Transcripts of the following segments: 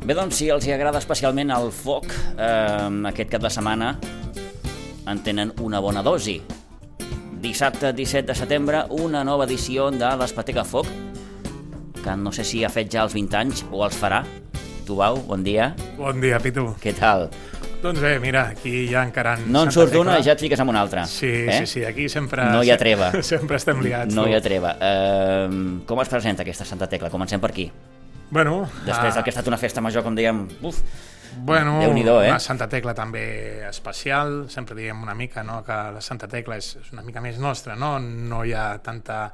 Bé, doncs, si els agrada especialment el foc, aquest cap de setmana en tenen una bona dosi. Dissabte 17 de setembre, una nova edició de l'Espatega Foc, que no sé si ha fet ja els 20 anys o els farà. Tu, Bau, bon dia. Bon dia, Pitu. Què tal? Doncs bé, mira, aquí ja encara... No en surt d'una i ja et fiques amb una altra. Sí, sí, aquí sempre... No hi ha treva. Sempre estem liats. No hi ha treva. Com es presenta aquesta Santa Tecla? Comencem per aquí. Bueno... Després del que ha estat una festa major, com dèiem, bueno, Déu-n'hi-do, una Santa Tecla també especial. Sempre diem una mica, no?, que la Santa Tecla és una mica més nostra, no? No hi ha tanta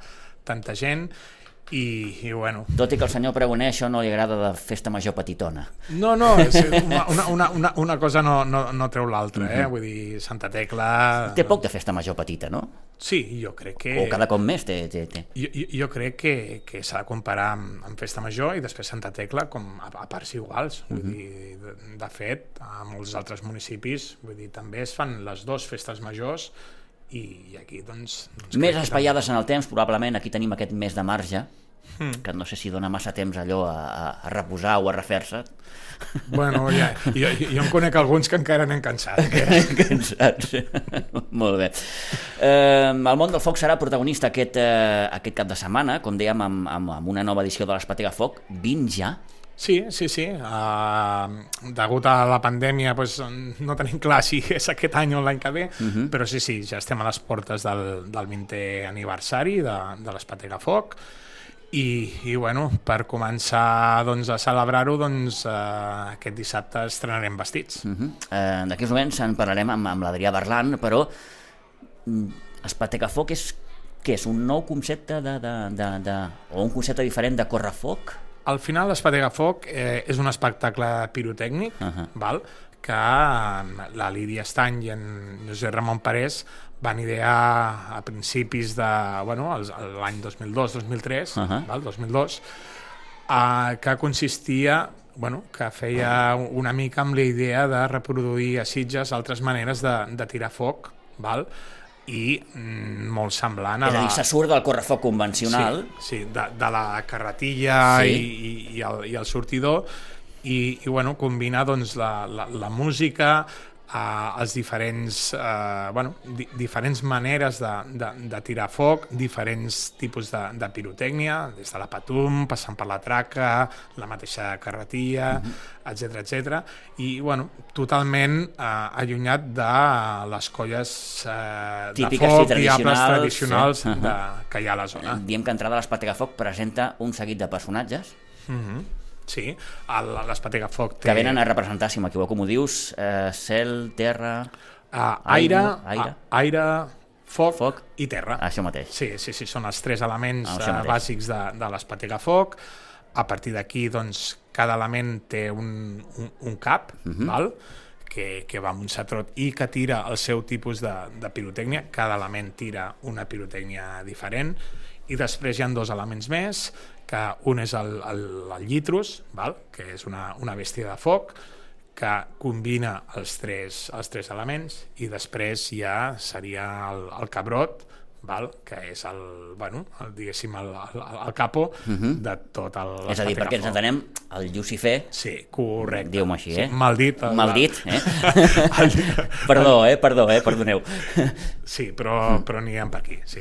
gent i bueno... Tot i que al senyor Pregoner això no li agrada de festa major petitona. No, és una cosa no treu l'altra, Vull dir, Santa Tecla... Té poc de festa major petita, no? Sí, jo crec que... O cada cop més té. Jo crec que s'ha de comparar amb Festa Major i després Santa Tecla com a parts iguals. Vull dir, de fet, a molts altres municipis també es fan les dues festes majors i aquí, doncs més espaiades en el temps, probablement aquí tenim aquest mes de marge, que no sé si dona massa temps allò a reposar o a refer-se. Bueno, ja, jo em conec alguns que encara n'han cansat. Cansats. Molt bé. El món del foc serà protagonista aquest cap de setmana, com dèiem, amb una nova edició de l'Espatega Foc. 20 ja? Sí. Degut a la pandèmia no tenim clar si és aquest any o l'any que ve, però sí, ja estem a les portes del 20è aniversari de l'Espatega Foc i bueno, per començar a celebrar-ho, aquest dissabte estrenarem vestits. D'aquí uns moments en parlarem amb l'Adrià Berlan, però Espatega Foc és un nou concepte o un concepte diferent de correfoc? Al final l'Espatega Foc és un espectacle pirotècnic, que la Lídia Estany i en Josep Ramon Parés van idear a principis de l'any 2002-2003, 2002, que consistia, que feia una mica amb la idea de reproduir a Sitges altres maneres de tirar foc, i molt semblant a... És a dir, se surt del correfoc convencional. Sí, de la carretilla i el sortidor i combina la música, els diferents maneres de tirar foc, diferents tipus de pirotècnia, des de la patum, passant per la traca, la mateixa carretilla, etc. I totalment allunyat de les colles de foc diables tradicionals que hi ha a la zona. Diem que entrada a l'Espatega Foc presenta un seguit de personatges. Sí, l'Espatega Foc té... Que venen a representar, si m'equivoco, com ho dius, cel, terra... Aire, foc i terra. Això mateix. Sí, són els tres elements bàsics de l'Espatega Foc. A partir d'aquí, cada element té un cap, que va amb un satrot i que tira el seu tipus de pirotècnia. Cada element tira una pirotècnia diferent. I després hi ha dos elements més, que un és el llitrus, que és una bèstia de foc, que combina els tres elements, i després ja seria el cabrot, que és diguéssim el capo de tot l'Espatega Foc. És a dir, perquè ens entenem, el Llucifer... Sí, correcte. Diu-me així, sí, maldit. Maldit, Perdó, perdoneu. Sí, però anirem per aquí, sí.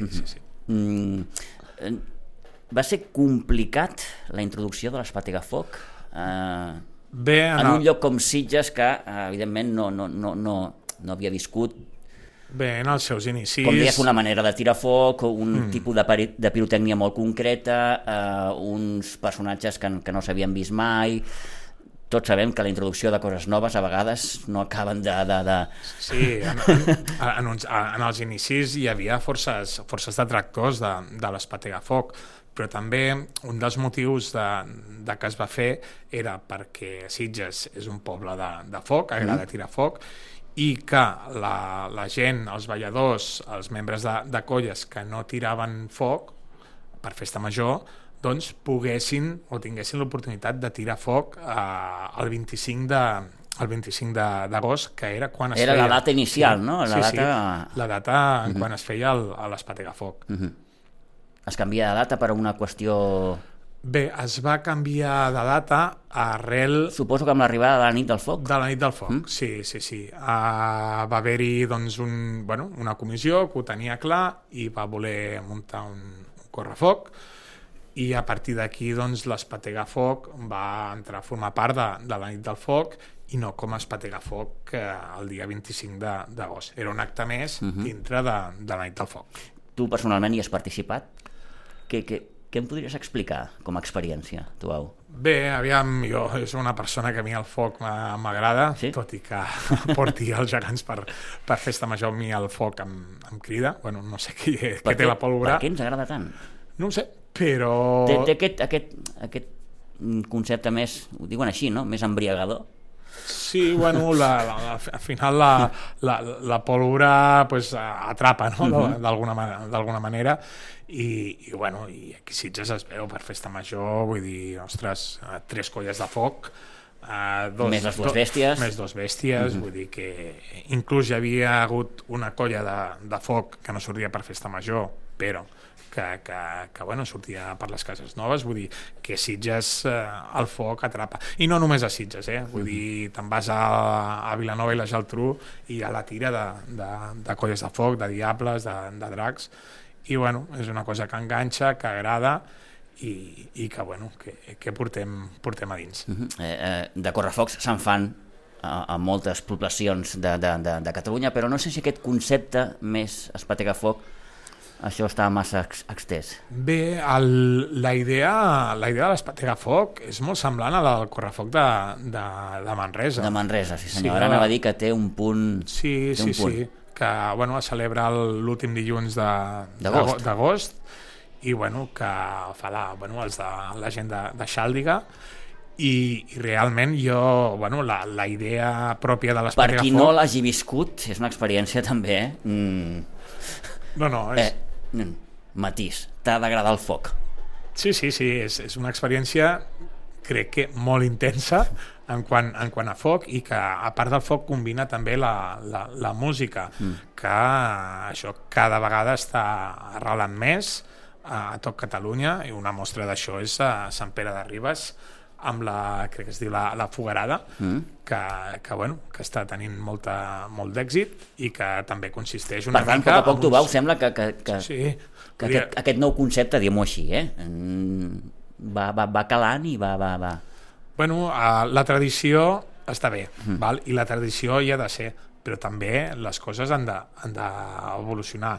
Va ser complicat la introducció de l'Espatega Foc en un lloc com Sitges, que evidentment no havia viscut, bé, en els seus inicis, com deies, una manera de tirar foc, un tipus de pirotècnia molt concreta, uns personatges que no s'havien vist mai. Tots sabem que la introducció de coses noves a vegades no acaben de... Sí, en els inicis hi havia forces detractors de l'Espatega Foc, però també un dels motius de que es va fer era perquè Sitges és un poble de foc, agrada tirar foc, i que la gent, els balladors, els membres de colles que no tiraven foc per festa major, poguessin o tinguessin l'oportunitat de tirar foc el 25 d'agost, que era quan es feia... Era la data inicial, no? La data quan es feia l'Espatega Foc. Es canvia de data per una qüestió Bé, es va canviar de data arrel... Suposo que amb l'arribada de la nit del foc. De la nit del foc, sí. Va haver-hi doncs, una comissió que ho tenia clar i va voler muntar un correfoc, i a partir d'aquí doncs, l'Espetegafoc va entrar a formar part de la nit del foc i no com a Espetegafoc el dia 25 d'agost. Era un acte més dintre de la nit del foc. Tu personalment hi has participat? Què em podries explicar com a experiència, tu, Au? Bé, aviam, jo és una persona que a mi el foc m'agrada, sí? Tot i que porti els gegants per festa major, a mi el foc em crida. Bueno, no sé què té la pólvora. Per què ens agrada tant? No ho sé, però... Té aquest concepte més, ho diuen així, no? Més embriagador. Sí, bueno, al final la pólvora pues, atrapa, no? D'alguna manera, i aquí Sitges es veu per festa major, vull dir, ostres, 3 colles de foc, més les 2 bèsties. Més 2 bèsties, vull dir que inclús hi havia hagut una colla de foc que no sortia per festa major, però que sortia per les cases noves, vull dir que Sitges el foc atrapa, i no només a Sitges, vull dir, te'n vas a Vilanova i la Geltrú i a la tira de colles de foc, de diables, de dracs, i és una cosa que enganxa, que agrada i que portem a dins. De correfocs se'n fan a moltes poblacions de Catalunya, però no sé si aquest concepte més Espetegafoc això està massa extès. Bé, la idea de l'Espetegafoc és molt semblant a la del correfoc de Manresa. De Manresa, sí senyor. Ara anava a dir que té un punt... Sí, que es celebra l'últim dilluns d'agost i que fa la gent de Xàldiga, i realment la idea pròpia de l'Espetegafoc... Per qui no l'hagi viscut, és una experiència també, No, és... matís, t'ha d'agradar el foc. Sí, és una experiència, crec que molt intensa en quant a foc, i que a part del foc combina també la música, que això cada vegada està arrelant més a tot Catalunya, i una mostra d'això és a Sant Pere de Ribes, amb crec que es diu la Fogarada, que està tenint molt d'èxit, i que també consisteix una mica... Per tant, poc a poc tu veus, sembla que aquest nou concepte, diguem-ho així, va calant i va... Bueno, la tradició està bé, i la tradició hi ha de ser, però també les coses han d'evolucionar.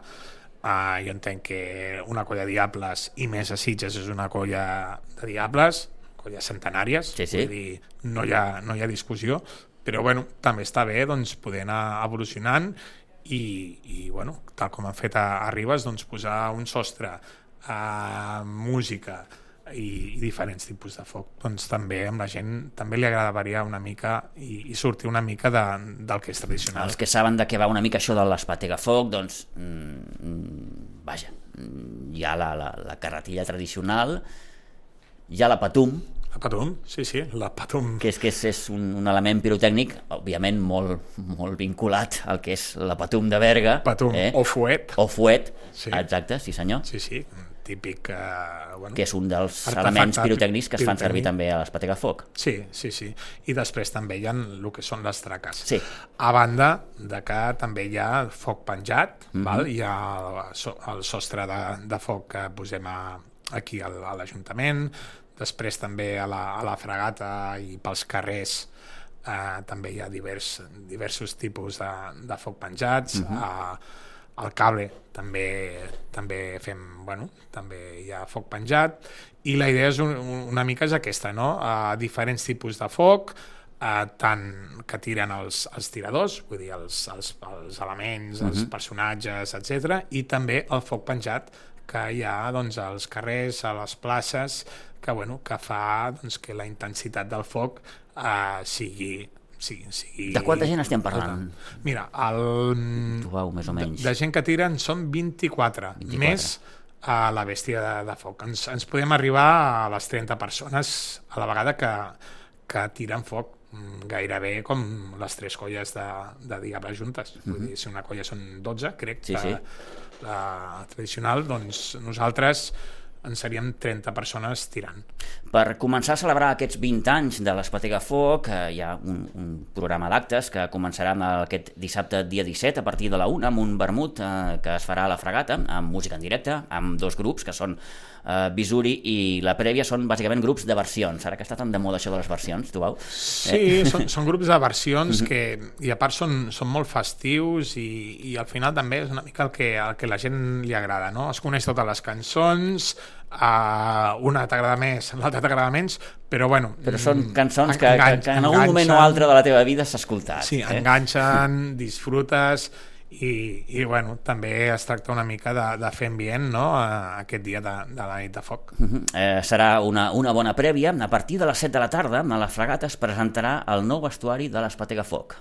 Jo entenc que una colla de diables, i més a Sitges, és una colla de diables, colles centenàries, vull dir, no hi ha discussió, però també està bé poder anar evolucionant i tal com han fet a Ribes, posar un sostre, música i diferents tipus de foc. També amb la gent també li agrada variar una mica i sortir una mica del que és tradicional. Els que saben de què va una mica això de l'Espetegafoc, vaja, hi ha la carretilla tradicional, hi ha la patum. La patum, sí, la patum. Que és un element pirotècnic, òbviament molt vinculat al que és la patum de Berga. Patum, o fuet. O fuet, exacte, sí senyor. Sí, típic... que és un dels elements pirotècnics que es fan servir també a l'Espetegafoc. Sí. I després també hi ha el que són les traques. Sí. A banda de que també hi ha foc penjat, hi ha el sostre de foc que posem aquí a l'Ajuntament, després també a la Fragata i pels carrers també hi ha diversos tipus de foc penjats. Al Cable també fem, també hi ha foc penjat, i la idea és una mica és aquesta, no? Diferents tipus de foc, tant que tiren els tiradors, vull dir, els elements, els personatges, etc., i també el foc penjat que hi ha als carrers, a les places, que fa que la intensitat del foc sigui... De quanta gent estem parlant? Mira, més o menys. De gent que tiren són 24. Més a la bèstia de foc. Ens podem arribar a les 30 persones a la vegada que tiren foc, gairebé com les 3 colles de diables juntes. Vull dir, si una colla són 12, crec que la tradicional, nosaltres en seríem 30 persones tirant. Per començar a celebrar aquests 20 anys de l'Espatega Foc, hi ha un programa d'actes que començarà aquest dissabte dia 17 a partir de la 1 amb un vermut que es farà a la Fragata, amb música en directe, amb 2 grups que són Visuri i la Prèvia, són bàsicament grups de versions. Ara que està tan de moda això de les versions, tu veus? Sí, són grups de versions que, i a part són molt festius i al final també és una mica el que la gent li agrada, no? Es coneix totes les cançons, una t'agrada més, l'altra t'agrada menys, però bueno... Però són cançons que en algun moment o altre de la teva vida s'ha escoltat. Sí, enganxen, disfrutes... I bueno, també es tracta una mica de fer ambient, no?, aquest dia de la nit de foc. Serà una bona prèvia. A partir de les 7 de la tarda a la Fragata es presentarà el nou vestuari de l'Espatega Foc.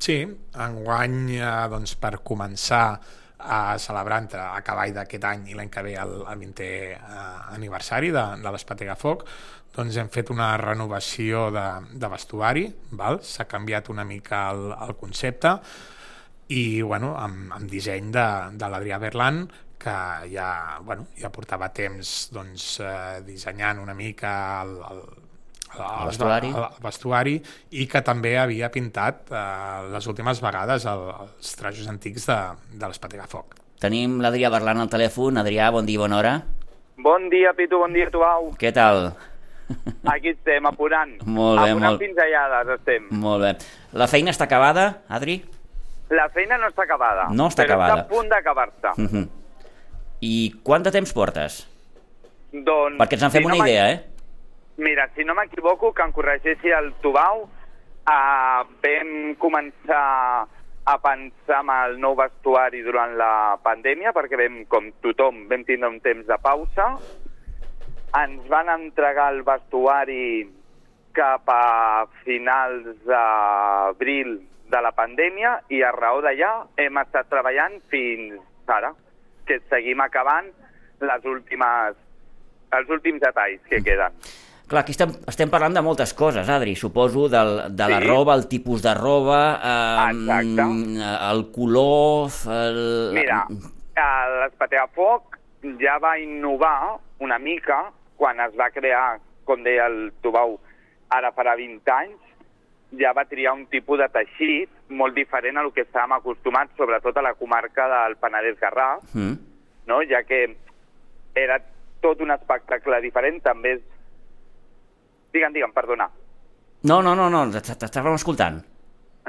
Sí, enguany, doncs, per començar a celebrar a cavall d'aquest any i l'any que ve el 20è aniversari de l'Espatega Foc, doncs hem fet una renovació de vestuari, s'ha canviat una mica el concepte, i bueno, amb disseny de l'Adrià Berlan, que ja portava temps dissenyant una mica el vestuari i que també havia pintat les últimes vegades els trajos antics de l'Espatega Foc. Tenim l'Adrià Berlan al telèfon. Adrià, bon dia, bona hora. Bon dia, Pitu, bon dia, Tubau. Què tal? Aquí estem, apurant. Molt bé, apurant pinzellades estem. Molt bé. La feina està acabada, Adri? La feina no està acabada, no està acabada. Està a punt d'acabar-se. I quant de temps portes? Doncs... Perquè ens en fem una idea, Mira, si no m'equivoco, que em corregeixi el Tubau, vam començar a pensar en el nou vestuari durant la pandèmia, perquè com tothom vam tindre un temps de pausa. Ens van entregar el vestuari cap a finals d'abril de la pandèmia i a raó d'allà hem estat treballant fins ara, que seguim acabant els últims detalls que queden. Clar, aquí estem parlant de moltes coses, Adri. Suposo de la roba, el tipus de roba, el color... Mira, l'Espatega Foc ja va innovar una mica quan es va crear, com deia el Tubau, ara farà 20 anys, ja va triar un tipus de teixit molt diferent a lo que estàvem acostumats, sobretot a la comarca del Penedès-Garraf, no? Ja que era tot un espectacle diferent, també és... Digue'm, perdona. No, t'estàvem escoltant.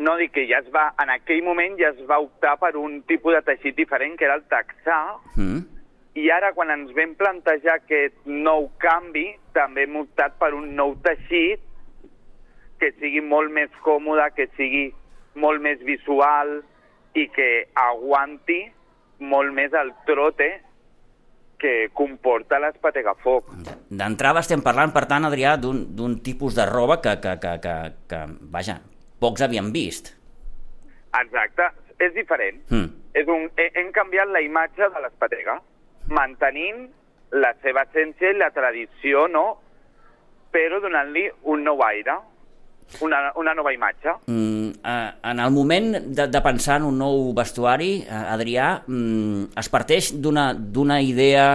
No, dic que en aquell moment ja es va optar per un tipus de teixit diferent, que era el texà, i ara quan ens vam plantejar aquest nou canvi, també hem optat per un nou teixit que sigui molt més còmode, que sigui molt més visual i que aguanti molt més el trote que comporta l'Espatega Foc. D'entrada estem parlant, per tant, Adrià, d'un tipus de roba que vaja, pocs havien vist. Exacte, és diferent. Hem canviat la imatge de l'Espatega, mantenint la seva essència i la tradició, no? Però donant-li un nou aire. Una nova imatge. En el moment de pensar en un nou vestuari, Adrià, es parteix d'una idea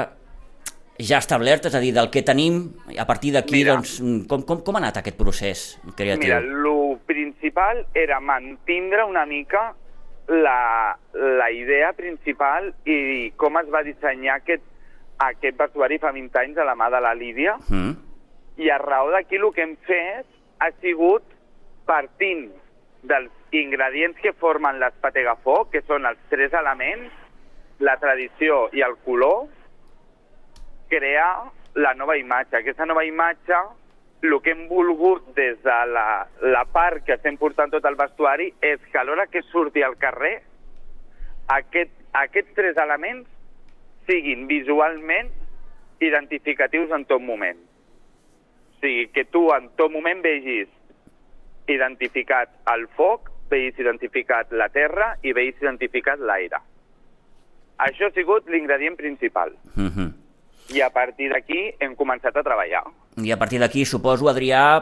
ja establerta, és a dir, del que tenim, a partir d'aquí, doncs, com ha anat aquest procés creatiu? Mira, el principal era mantindre una mica la idea principal i com es va dissenyar aquest vestuari fa 20 anys a la mà de la Lídia, i a raó d'aquí el que hem fet ha sigut, partint dels ingredients que formen l'Espatega Foc, que són els 3 elements, la tradició i el color, crear la nova imatge. Aquesta nova imatge, el que hem volgut des de la part que estem portant tot el vestuari, és que a l'hora que surti al carrer, aquests 3 elements siguin visualment identificatius en tot moment. O sigui, que tu en tot moment vegis identificat el foc, vegis identificat la terra i vegis identificat l'aire. Això ha sigut l'ingredient principal. I a partir d'aquí hem començat a treballar. I a partir d'aquí, suposo, Adrià,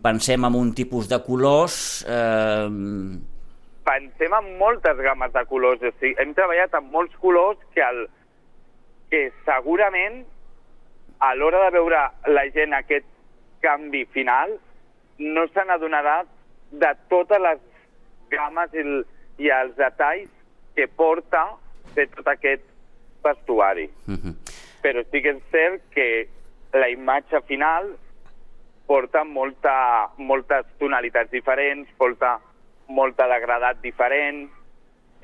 pensem en un tipus de colors... Pensem en moltes gammes de colors. O sigui, hem treballat amb molts colors que segurament a l'hora de veure la gent aquest canvi final, no se n'adonarà de totes les games i els detalls que porta de tot aquest vestuari. Però sí que és cert que la imatge final porta moltes tonalitats diferents, porta molt degradat diferent,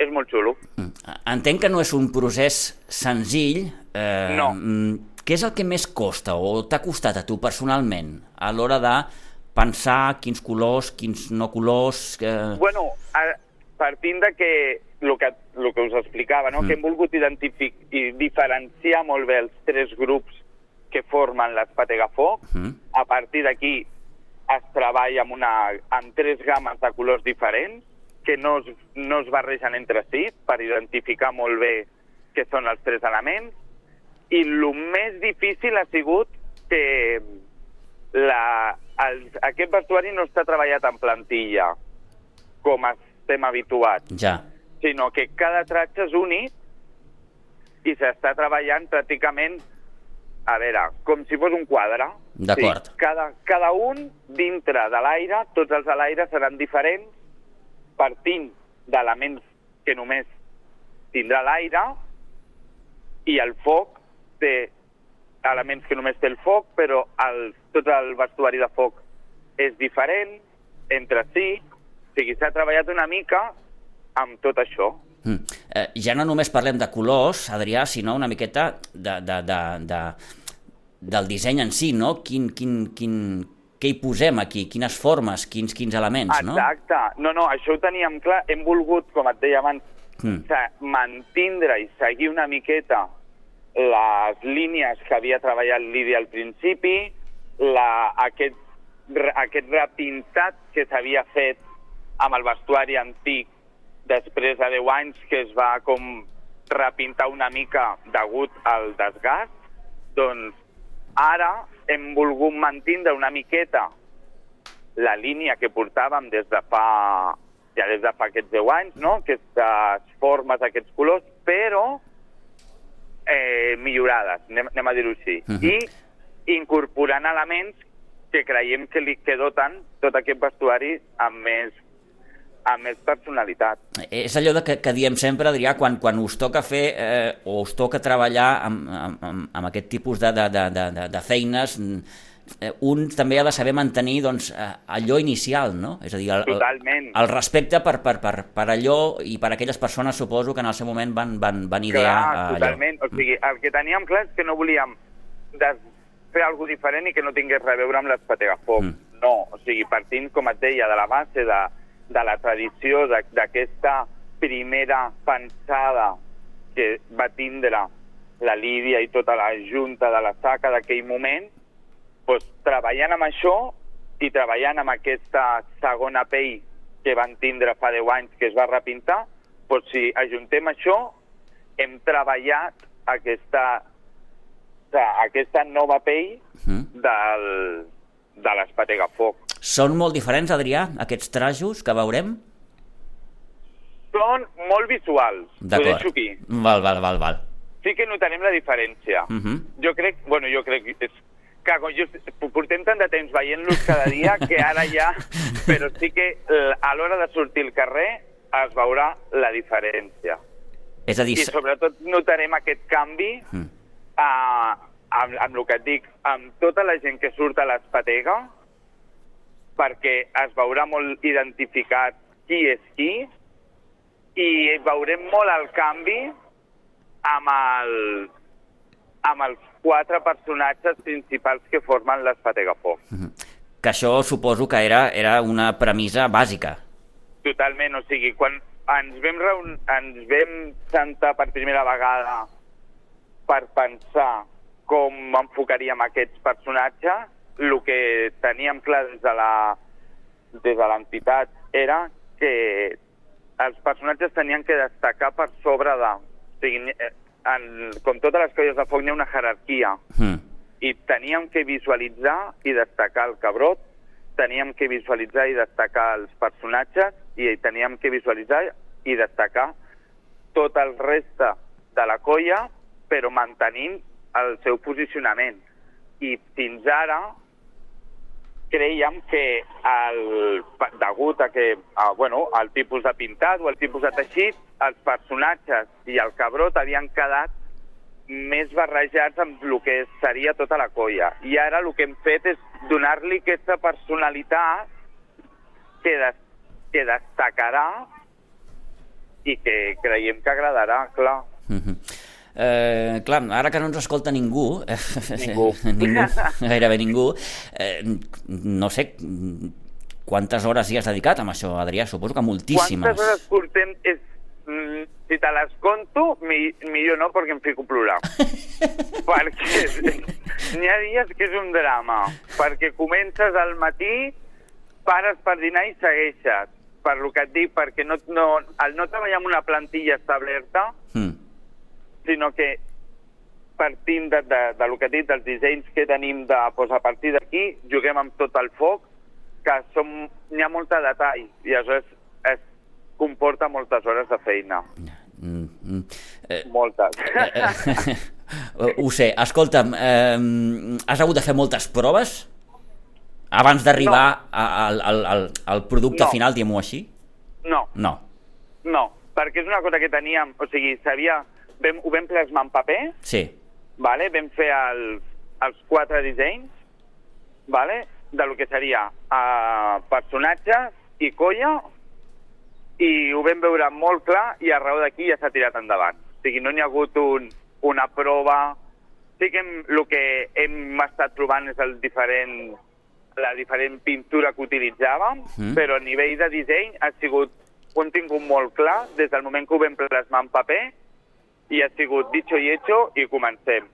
és molt xulo. Entenc que no és un procés senzill. No. Què és el que més costa o t'ha costat a tu personalment a l'hora de pensar quins colors, quins no colors... Bueno, partint de que el que us explicava, no? Que hem volgut diferenciar molt bé els tres grups que formen l'Espategafoc. A partir d'aquí es treballa amb tres games de colors diferents que no es barregen entre si per identificar molt bé què són els tres elements. I el més difícil ha sigut que aquest vestuari no està treballat en plantilla, com estem habituats, sinó que cada tratge és únic i s'està treballant pràcticament, a veure, com si fos un quadre. D'acord. Sí, cada un dintre de l'aire, tots els de l'aire seran diferents, partint d'elements que només tindrà l'aire, i el foc té elements que només té el foc, però tot el vestuari de foc és diferent entre si. O sigui, s'ha treballat una mica amb tot això. Ja no només parlem de colors, Adrià, sinó una miqueta del disseny en si, no? Què hi posem aquí? Quines formes, quins elements, no? Exacte. No, això ho teníem clar. Hem volgut, com et deia abans, mantindre i seguir una miqueta les línies que havia treballat Lídia al principi, aquest repintat que s'havia fet amb el vestuari antic després de 10 anys, que es va com repintar una mica degut al desgast. Doncs ara hem volgut mantindre una miqueta la línia que portàvem des de fa aquests 10 anys, no? Aquestes formes, aquests colors, però millorades, anem a dir-ho així. I incorporant elements que creiem que doten tot aquest vestuari amb més personalitat. És allò que diem sempre, Adrià, quan us toca fer o us toca treballar amb aquest tipus de feines, un també ha de saber mantenir allò inicial, no? És a dir, el respecte per allò i per aquelles persones, suposo, que en el seu moment van idear allò. Totalment. O sigui, el que teníem clar és que no volíem fer alguna cosa diferent i que no tingués res a veure amb l'Espategafoc. No, o sigui, partint, com et deia, de la base de la tradició, d'aquesta primera pensada que va tindre la Lídia i tota la junta de la SACA d'aquell moment, doncs, treballant amb això i treballant amb aquesta segona pell que van tindre fa 10 anys que es va repintar, doncs si ajuntem això, hem treballat aquesta nova pell de l'Espategafoc. Són molt diferents, Adrià, aquests trajos que veurem? Són molt visuals. Ho deixo aquí. Val. Sí que notarem la diferència. Jo crec que portem tant de temps veient-los cada dia que ara ja... Però sí que a l'hora de sortir al carrer es veurà la diferència. És a dir... I sobretot notarem aquest canvi amb el que et dic, amb tota la gent que surt a l'Espatega, perquè es veurà molt identificat qui és qui, i veurem molt el canvi amb els 4 personatges principals que formen l'Espategafoc. Que això suposo que era una premissa bàsica. Totalment, o sigui, quan ens vam sentar per primera vegada per pensar com enfocaríem aquests personatges, el que teníem clar des de l'entitat era que els personatges tenien que destacar per sobre de... O sigui, com totes les colles de foc, hi ha una jerarquia. I teníem que visualitzar i destacar el Cabrot, teníem que visualitzar i destacar els personatges, i teníem que visualitzar i destacar tot el reste de la colla, però mantenint el seu posicionament. i fins ara creiem que degut a que el tipus de pintat o el tipus de teixit, els personatges i el cabrot havien quedat més barrejats amb el que seria tota la colla. I ara el que hem fet és donar-li aquesta personalitat que destacarà i que creiem que agradarà, clar. Clar, ara que no ens escolta ningú, gairebé ningú, no sé quantes hores hi has dedicat amb això, Adrià, suposo que moltíssimes. Quantes hores portem? Si te les conto, millor no, perquè em fico a plorar. Perquè n'hi ha dies que és un drama, perquè comences al matí, pares per dinar i segueixes, per lo que et dic, perquè al no treballar amb una plantilla establerta, sinó que partint de lo que he dit, dels dissenys que tenim a partir d'aquí, juguem amb tot el foc, que n'hi ha molt de detall, i aleshores es comporta moltes hores de feina. Moltes. Ho sé. Escolta'm, has hagut de fer moltes proves abans d'arribar al producte final, diguem-ho així? No, perquè és una cosa que teníem, o sigui, ho vam plasmar en paper, sí. Vale? Vam fer els 4 dissenys, vale? De lo que seria personatges i colla, i ho vam veure molt clar i a raó d'aquí ja s'ha tirat endavant. O sigui, no n'hi ha hagut una prova. Sí que el que hem estat trobant és la diferent pintura que utilitzàvem, però a nivell de disseny ho hem tingut molt clar des del moment que ho vam plasmar en paper, i ha sigut dicho i hecho, i comencem.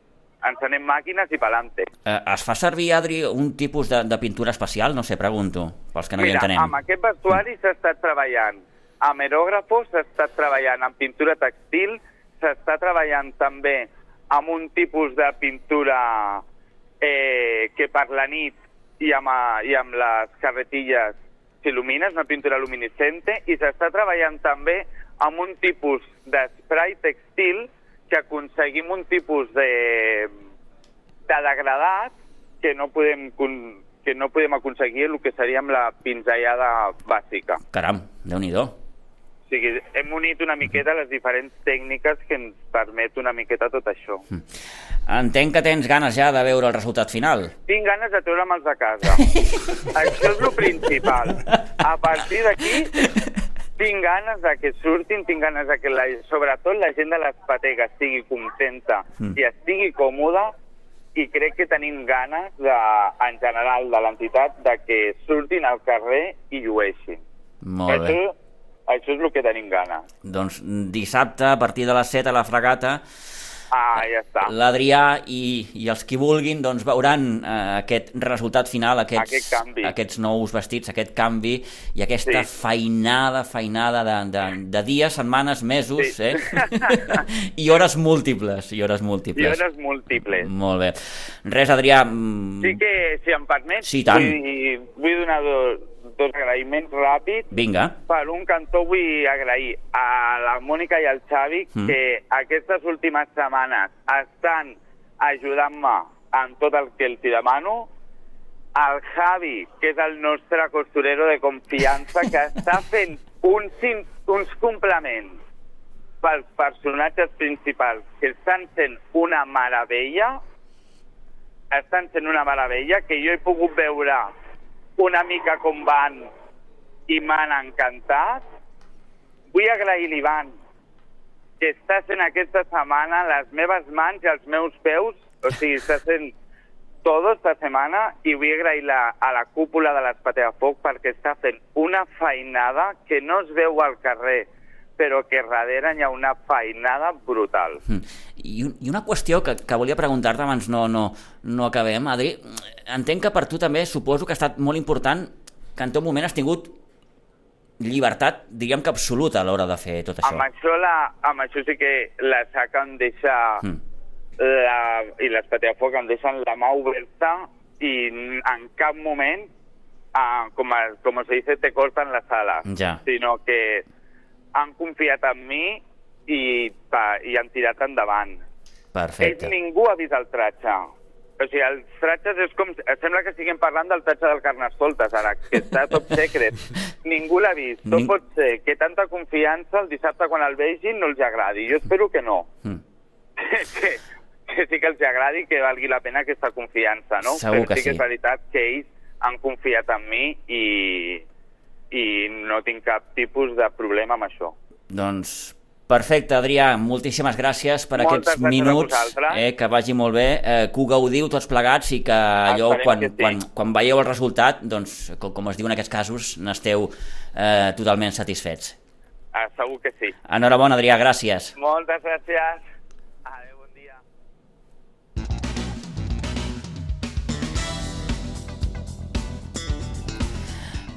Encenem màquines i pa'lante. Es fa servir, Adri, un tipus de pintura especial? No sé, pregunto, pels que no hi entenem. Mira, amb aquest vestuari s'ha estat treballant amb aerògrafos, s'ha estat treballant amb pintura textil, s'està treballant també amb un tipus de pintura que per la nit i amb les carretilles s'il·lumina, és una pintura luminescente, i s'està treballant també amb un tipus d'esprai textil que aconseguim un tipus de degradat que no podem aconseguir el que seria amb la pinzellada bàsica. Caram, Déu-n'hi-do. O sigui, hem unit una miqueta les diferents tècniques que ens permet una miqueta tot això. Entenc que tens ganes ja de veure el resultat final. Tinc ganes de treure'ls de casa. Això és el principal. A partir d'aquí tinc ganes de que surtin, tinc ganes de que sobretot la gent de l'Espatega estigui contenta i estigui còmoda, i crec que tenim ganes en general de l'entitat de que surtin al carrer i llueixin. Molt bé. Això és el que tenim ganes. Doncs dissabte, a partir de les 7 a la Fragata, ja està. L'Adrià i els qui vulguin doncs veuran aquest resultat final, aquests nous vestits, aquest canvi i aquesta feinada de dies, setmanes, mesos, sí. I hores múltiples. Molt bé. Res, Adrià... Sí que, si em permets, sí, tant. Vull donar dos agraïments ràpids. Vinga. Per un cantó vull agrair a la Mònica i al Xavi que aquestes últimes setmanes estan ajudant-me en tot el que els demano. Al Javi, que és el nostre costurero de confiança, que està fent uns complements pels personatges principals que estan sent una meravella. Que jo he pogut veure una mica com van i m'han encantat. Vull agrair l'Ivan, que està sent aquesta setmana les meves mans i els meus peus, o sigui, està sent tota esta setmana, i vull agrair a la cúpula de l'Espatega Foc perquè està fent una feinada que no es veu al carrer, però que darrere hi ha una feinada brutal. I una qüestió que volia preguntar-te abans no acabem, Adri. Entenc que per tu també suposo que ha estat molt important que en tot moment has tingut llibertat, diguem que absoluta a l'hora de fer tot això. Amb això sí que la SAC em deixa i l'Espatega Foc em deixen la mà oberta i en cap moment, com se dice, te cortan las alas, sinó que han confiat en mi i han tirat endavant. Perfecte. Ningú ha vist el tratge. O sigui, els tratges és com... Sembla que estiguem parlant del tratge del Carnestoltes, ara, que està top secret. Ningú l'ha vist. Tot pot ser que tanta confiança el dissabte quan el vegin no els agradi. Jo espero que no. Que sí que els agradi, que valgui la pena aquesta confiança, no? Segur que sí. Però sí que és veritat que ells han confiat en mi i no tinc cap tipus de problema amb això. Doncs... Perfecte, Adrià, moltíssimes gràcies per aquests minuts, que vagi molt bé, que ho gaudiu tots plegats i que allò, quan veieu el resultat, doncs, com es diu en aquests casos, n'esteu totalment satisfets. Segur que sí. Enhorabona, Adrià, gràcies. Moltes gràcies. Adéu, bon dia.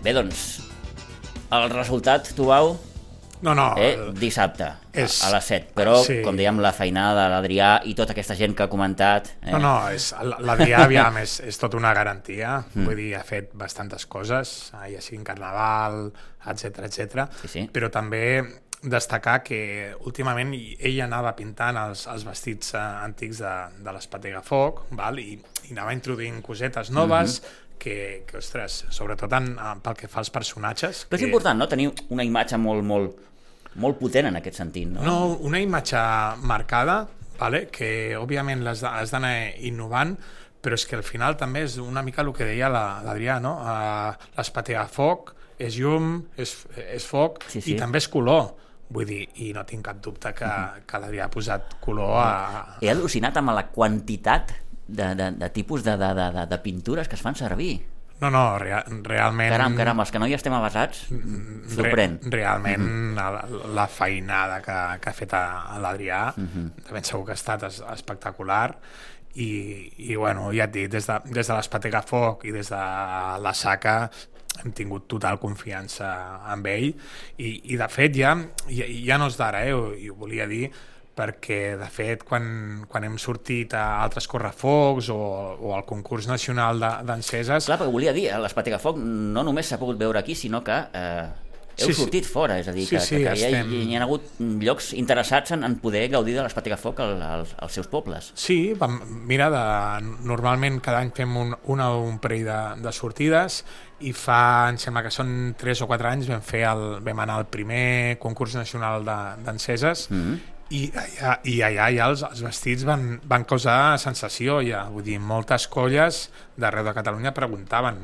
Bé, doncs, el resultat, Tubau? No. Dissabte, a les 7. Però, com dèiem, la feinada de l'Adrià i tota aquesta gent que ha comentat... No, l'Adrià, aviam, és tota una garantia. Vull dir, ha fet bastantes coses, ja sigui en Carnaval, etc. Sí. Però també destacar que últimament ell anava pintant els vestits antics de l'Espatega Foc, i anava introduint cosetes noves, que ostres, sobretot pel que fa als personatges... Però és important, no?, tenir una imatge molt potent en aquest sentit, no? No, una imatge marcada, que òbviament has d'anar innovant, però és que al final també és una mica el que deia l'Adrià, no? L'Espatega Foc és llum, és foc, i també és color. Vull dir, i no tinc cap dubte que l'Adrià ha posat color a... He al·lucinat amb la quantitat de tipus de pintures que es fan servir. No, realment... Caram, els que no hi estem avasats, sorprèn. Realment, la feinada que ha fet l'Adrià, de ben segur que ha estat espectacular, i bueno, ja et dic, des de l'Espatega Foc i des de la Saca hem tingut total confiança amb ell, i de fet ja no és d'ara, i ho volia dir, perquè de fet quan hem sortit a altres correfocs o al concurs nacional d'enceses... Clar, perquè volia dir, l'Espatega Foc no només s'ha pogut veure aquí, sinó que heu sortit fora, és a dir, que hi ha hagut llocs interessats en poder gaudir de l'Espatega Foc als seus pobles. Sí, mira, normalment cada any fem un parell de sortides, i em sembla que són 3 o 4 anys vam anar al primer concurs nacional d'enceses, i allà ja els vestits van causar sensació, ja. Vull dir, moltes colles d'arreu de Catalunya preguntaven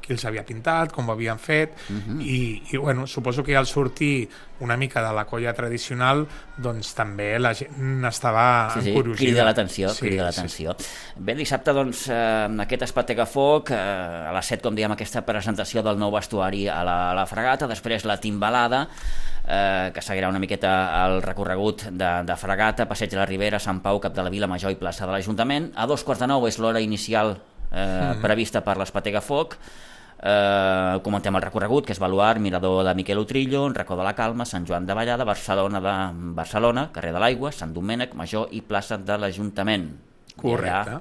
qui els havia pintat, com ho havien fet, i bueno, suposo que al sortir una mica de la colla tradicional, doncs també la gent estava encuriosa. Crida l'atenció. Bé, dissabte, doncs, aquest Espatega Foc, a les 7, com dèiem, aquesta presentació del nou vestuari a la Fragata, després la timbalada, que seguirà una miqueta el recorregut de Fragata, Passeig de la Ribera, Sant Pau, Cap de la Vila Major i plaça de l'Ajuntament. A 8:45 és l'hora inicial prevista per l'Espatega Foc. Comentem el recorregut, que és Baluard, Mirador de Miquel Utrillo, Racó de la Calma, Sant Joan de Vallada, Barcelona, Carrer de l'Aigua, Sant Domènec, Major i plaça de l'Ajuntament. Correcte.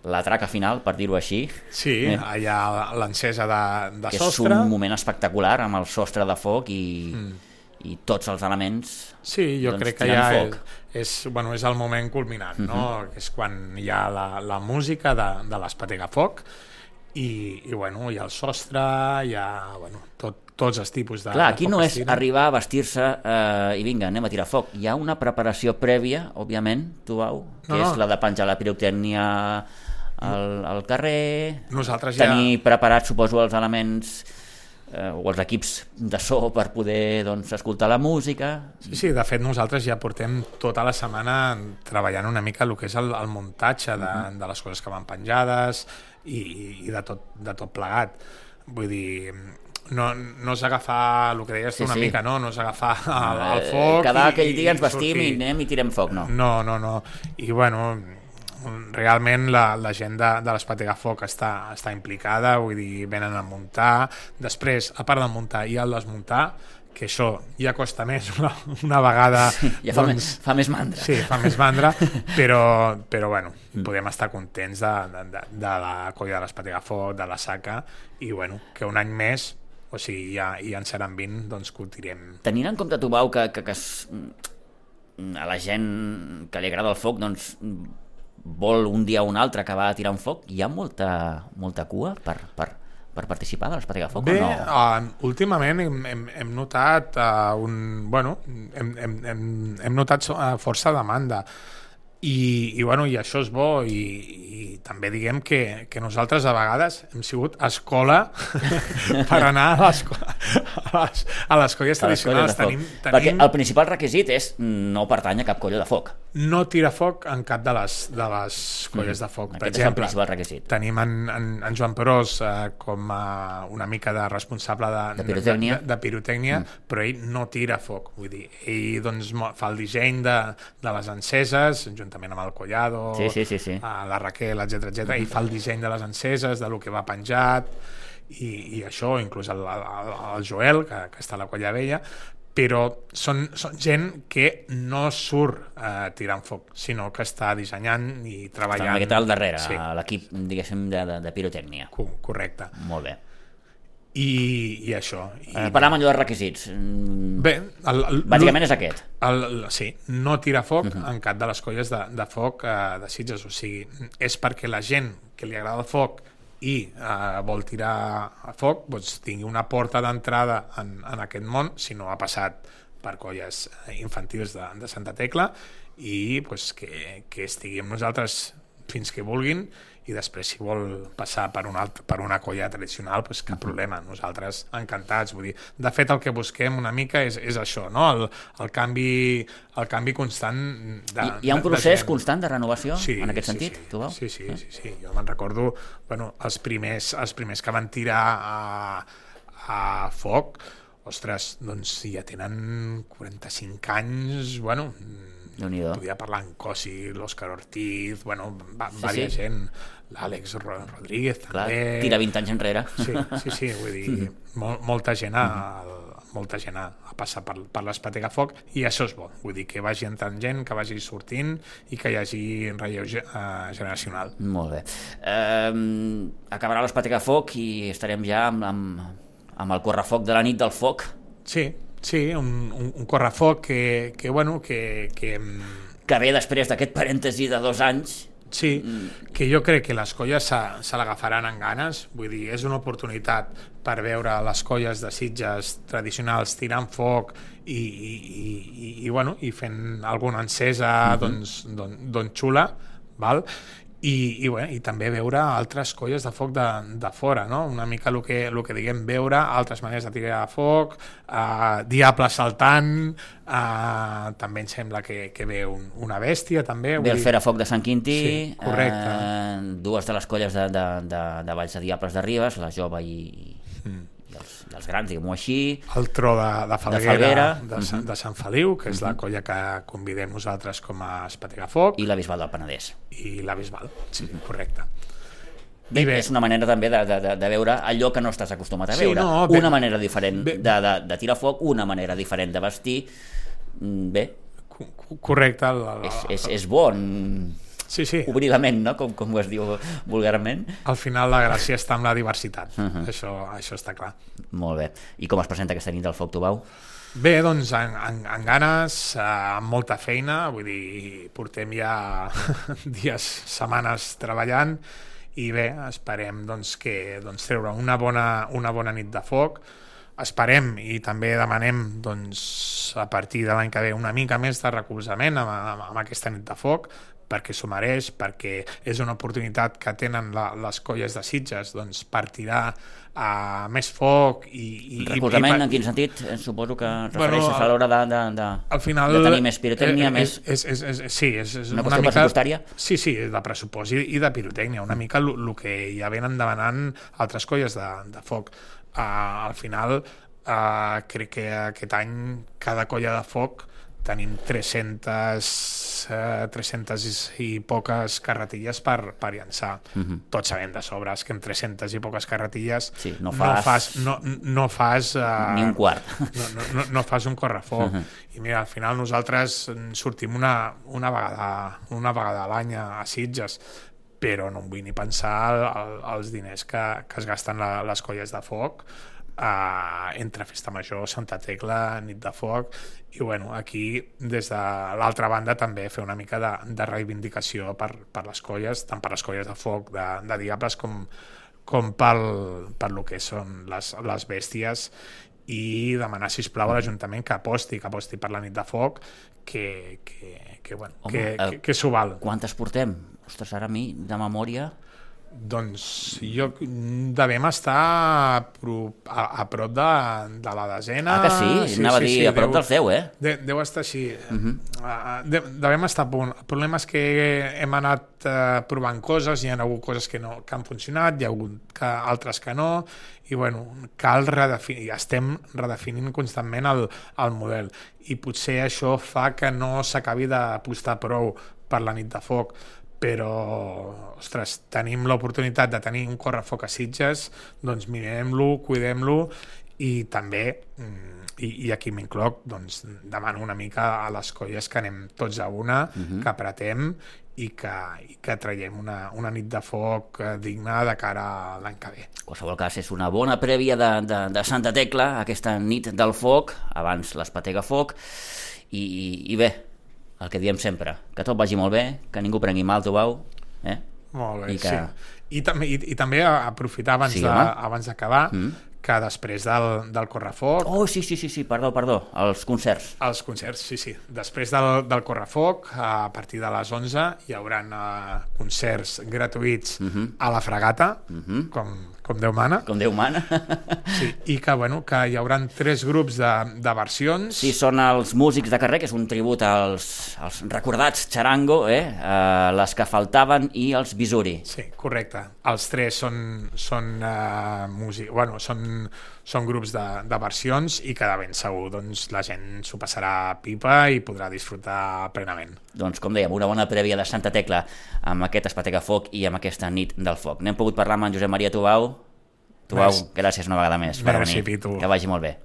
La traca final, per dir-ho així. Sí, allà l'encesa de sostre. És un moment espectacular amb el sostre de foc i tots els elements. Sí, jo crec que ja és el moment culminant, no? És quan hi ha la música de l'Espatega Foc i hi ha el sostre, hi ha tots els tipus de... Clar, aquí no és arribar a vestir-se i vinga, anem a tirar foc. Hi ha una preparació prèvia, òbviament, Tubau, que és la de penjar la pirotècnia al carrer, tenir preparats, suposo, els elements o els equips de so per poder escoltar la música. Sí, de fet nosaltres ja portem tota la setmana treballant una mica el que és el muntatge de les coses que van penjades i de tot plegat. Vull dir, no és agafar el que deies tu una mica, no és agafar el foc cada aquell dia ens vestim i anem i tirem foc, no. No, i bueno, realment la gent de l'Espatega Foc està implicada, vull dir, venen a muntar, després, a part de muntar i al desmuntar, que això ja costa més una vegada. Ja fa més mandra. Sí, fa més mandra, però bueno, podem estar contents de la colla de l'Espatega Foc, de la Saca, i bueno, que un any més, o sigui, ja en seran 20, doncs que ho tirem. Tenint en compte, Tubau, que a la gent que li agrada el foc, doncs vol un dia o un altre acabar tirant foc, hi ha molta cua per participar de l'Espatega Foc o no? Bé, últimament hem notat hem notat força demanda i això és bo i també diguem que nosaltres a vegades hem sigut escola per anar a les colles tradicionals. Perquè el principal requisit és no pertany a cap colla de foc. No tira foc en cap de les colles de foc. Per exemple, és el principal requisit. Tenim en Joan Perós com una mica de responsable de pirotècnia, però ell no tira foc. Vull dir, ell doncs, fa el disseny de les enceses, juntament amb el Collado, la Raquel, etc. Ell fa el disseny de les enceses, de lo que va penjat, i això, inclús el Joel, que està a la Colla Vella, però són gent que no surt tirant foc, sinó que està dissenyant i treballant. Està una miqueta al darrere, a l'equip, diguéssim, de pirotècnia. Correcte. Molt bé. I això. Parlem allò de requisits. Bé, bàsicament és aquest. Sí, no tira foc en cap de les colles de foc de Sitges, o sigui, és perquè la gent que li agrada el foc i vol tirar a foc doncs tingui una porta d'entrada en aquest món, si no ha passat per colles infantils de Santa Tecla, i doncs, que estigui amb nosaltres fins que vulguin, i després si vol passar per una colla tradicional, doncs cap problema, nosaltres encantats. Vull dir, de fet el que busquem una mica és això, no? El canvi constant hi ha un procés constant de renovació en aquest sentit? Sí, jo me'n recordo els primers que van tirar a foc, ostres, doncs ja tenen 45 anys, podia parlar en Cosi, l'Òscar Ortiz, diversa gent, l'Àlex Rodríguez també. Tira 20 anys enrere. Sí, vull dir, molta gent ha passat per l'Espatega Foc, i això és bo, vull dir, que vagi entrant gent, que vagi sortint i que hi hagi relleu generacional. Molt bé. Acabarà l'Espatega Foc i estarem ja amb el correfoc de la nit del foc. Sí, un correfoc que ve després d'aquest parèntesi de 2 anys. Sí, que jo crec que les colles se l'agafaran amb ganes, vull dir, és una oportunitat per veure les colles de Sitges tradicionals tirant foc i fent alguna encesa doncs xula, val? I també veure altres colles de foc de fora, no? Una mica el que diguem, veure altres maneres de tirar a foc, diable saltant, també em sembla que ve una bèstia també. Ve el Fer a Foc de Sant Quintí, sí, correcte. 2 de les colles de Valls de Diables de Ribes, la jove i els grans, diguem-ho així. El tro de Falguera, de Sant Feliu, que és la colla que convidem nosaltres com a Espatega Foc. I la Bisbal del Penedès. I la Bisbal, sí, correcte. Bé, és una manera també de veure allò que no estàs acostumat a veure. Una manera diferent de tirar foc, una manera diferent de vestir. Bé. Correcte. És bon. Sí. Obrir la ment, no? Com ho es diu vulgarment. Al final la gràcia està en la diversitat, això està clar. Molt bé. I com es presenta aquesta nit del Foc Tubau? Bé, doncs amb ganes, amb molta feina, vull dir, portem ja dies, setmanes treballant, i bé, esperem treure una bona nit de foc. Esperem i també demanem a partir de l'any que ve una mica més de recolzament amb aquesta nit de foc, perquè s'ho mereix, perquè és una oportunitat que tenen les colles de Sitges per tirar més foc recolzament en quin sentit? Suposo que refereixes a l'hora de tenir més pirotècnia, més... Sí, és una qüestió pressupostària? Sí, de pressupost i de pirotècnia, una mica el que ja venen demanant altres colles de foc. Al final crec que aquest any cada colla de foc tenim 300 i poques carretilles per llançar. Tots sabem de sobres que amb 300 i poques carretilles no fas ni un quart. No fas un correfoc. I mira, al final nosaltres sortim una vegada a l'any a Sitges, però no em vull ni pensar els diners que es gasten les colles de foc entre Festa Major, Santa Tecla, Nit de Foc, i bueno, aquí des de l'altra banda també fer una mica de reivindicació per les colles, tant per les colles de foc de Diables com per lo que són les bèsties, i demanar, sisplau, a l'Ajuntament que aposti per la Nit de Foc, que s'ho val. Quantes portem? Ostres, ara a mi, de memòria... Doncs jo devem estar a prop de la desena. Ah, que sí? Anava a dir a prop del 10, Deu estar així. Devem estar a punt. El problema és que hem anat provant coses, hi ha hagut coses que han funcionat, hi ha hagut altres que no, i bueno, cal redefinir, estem redefinint constantment el model, i potser això fa que no s'acabi d'apostar prou per la Nit de Foc, però, ostres, tenim l'oportunitat de tenir un correfoc a Sitges, doncs mirem-lo, cuidem-lo, i també, i aquí m'incloc, doncs demano una mica a les colles que anem tots a una, que apretem i que traiem una Nit de Foc digna de cara a l'any que ve. En qualsevol cas, és una bona prèvia de Santa Tecla, aquesta Nit del Foc, abans l'Espatega Foc, i bé, el que diem sempre, que tot vagi molt bé, que ningú prengui mal, Tubau. Molt bé, sí. I també aprofitar abans d'acabar, que després del correfoc... Oh, sí, perdó, els concerts. Els concerts, sí. Després del correfoc, a partir de les 11, hi haurà concerts gratuïts a la Fragata, com Déu mana. Com Déu mana. Sí, i que hi haurà 3 grups de versions. Sí, són els músics de carrer, que és un tribut als recordats Charango, les que faltaven i els Bisuri. Sí, correcte. Els 3 són grups de versions, i que de ben segur doncs, la gent s'ho passarà pipa i podrà disfrutar plenament. Doncs, com dèiem, una bona prèvia de Santa Tecla amb aquest Espatega Foc i amb aquesta Nit del Foc. N'hem pogut parlar amb en Josep Maria Tubau. Tubau, gràcies una vegada més per venir. Pitu. Que vagi molt bé.